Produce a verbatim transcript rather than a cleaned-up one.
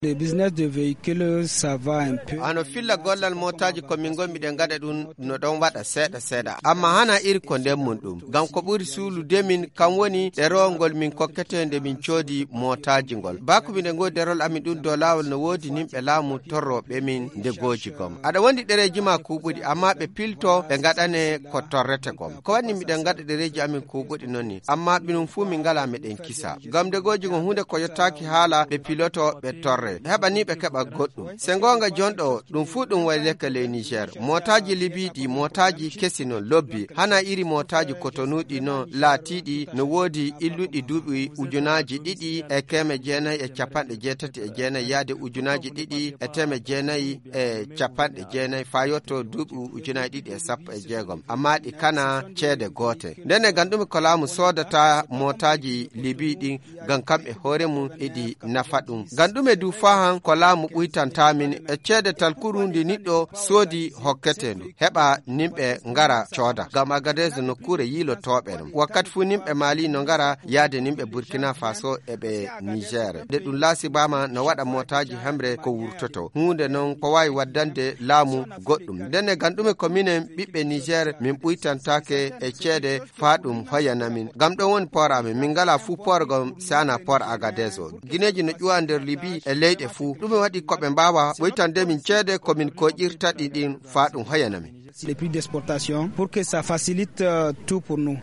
Le business de véhicule, ça va un peu. Hano filla gollal mootaaji ko min ngonmi ɗen ngaɗa ɗum no ɗon waɗa seeɗa seeɗa. Amma hana iri ko nden mun ɗum. Ngam ko ɓuri suulude min kan woni ɗerowol ngol min kokkete nde min coodi mootaaji ngol. Baaku miɗen ngoodi ɗerowol amin ɗum dow laawol no woodi nimɓe laamu torrooɓe min nde gooji gom. Aɗa wondi ɗereeji ma kuuɓuɗi amma ɓe pilto ɓe ngaɗane ko torrete gom. Ko waɗi miɗen ngaɗa ɗereeji amin kuuɓuɗi non ni. Amma ɓinum fuu min ngalaa meɗen kisa. Ngam nde gooji ngon huunde ko yottaaki haala ɓe piloto ɓe torre. Heɓa ni ɓe keɓa goɗɗum. Se ngoonga jonɗo ɗum fuu ɗum wayleke ley Niger. Mootaaji Libii ɗi mootaaji kesi non lobbi. Hana iri mootaaji kotonuuɗi non laatiiɗi no woodi illuɗi duuɓi ujunaaji ɗiɗi e keeme jeenayi e capanɗe jeetati e jeenayi yaade ujunaaji ɗiɗi e teeme jeenayi e capanɗe jeenayi faa yotto duuɓi ujunaaji ɗiɗi e sappo e jeegom. Amma ɗi kana ceede goote. Ndenne ngam ɗume ko laamu soodata mootaaji Libii ɗin ngam kam e hoore mum eɗi nafa ɗum. Ngam ɗume du faa han ko laamu ɓuytanta min e ceede talkuru ndi niɗɗo soodi hokkete ndu. Heɓa nimɓe ngara cooda. Ngam Agadez nokkuure yiilotooɓe ɗum. Wakkati fuu nimɓe Mali no ngara yaade nimɓe Burkina Faso e ɓe Niger. Nde ɗum laasibaama no waɗa mootaaji hemre ko wurtoto. Huunde non ko waawi waddande laamu goɗɗum. Ndenne ngam ɗume ko minen ɓiɓɓe Niger min ɓuytantaake e ceede faa ɗum hoyana min. Ngam ɗon woni poor amin. Min ngalaa fuu poor gom saana poor Agadez o. Gineeji no ƴuwa nder Libii e leyɗe fuu. Ɗume waɗi ko ɓe mbaawa ɓuytande min ceede ko min koƴirta ɗi ɗin faa ɗum hoyana min. Les prix d'exportation pour que ça facilite, euh, tout pour nous.